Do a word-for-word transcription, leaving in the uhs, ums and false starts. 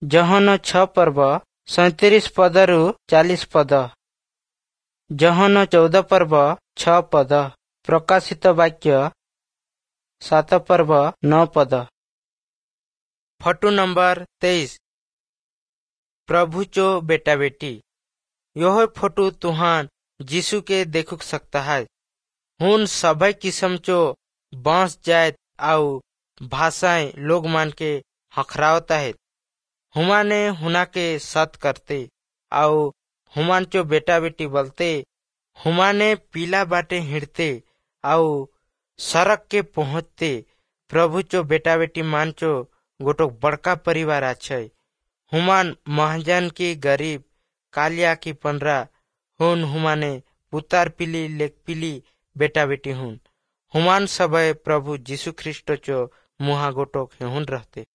ଯୋହନ ଛଅ ପର୍ବ ସଇଁତିରିଶ ପଦରୁ ଚାଳିଶ ପଦ। ଯୋହନ ଚଉଦ ପର୍ବ ଛଅ ପଦ। ପ୍ରକାଶିତ ବାକ୍ୟ ସାତ ପର୍ବ ନଅ ପଦ। ଫଟୁ ନମ୍ବର ତେଇଶ, प्रभु चो बेटा बेटी। यह फोटो तुहान यीशु के देखुक सकता है। हुन सबै किस्म चो बांस जात आउ भाषाएं लोग मान के हखरावता है। हुमाने हुना के सत करते आउ हुमान चो बेटा बेटी बोलते। हुमाने पीला बाटे हिड़ते आउ सड़क के पहुँचते। प्रभु चो बेटा बेटी मान चो गोटोक बड़का परिवार आछे। हुमान महाजन की गरीब कालिया की पंडरा हुन। हुमाने पुतार पिली लेक पिली बेटा बेटी हुन। हुमान सबै प्रभु यीशु ख्रीष्ट चो मुहा गोटोक हेहुन रहते।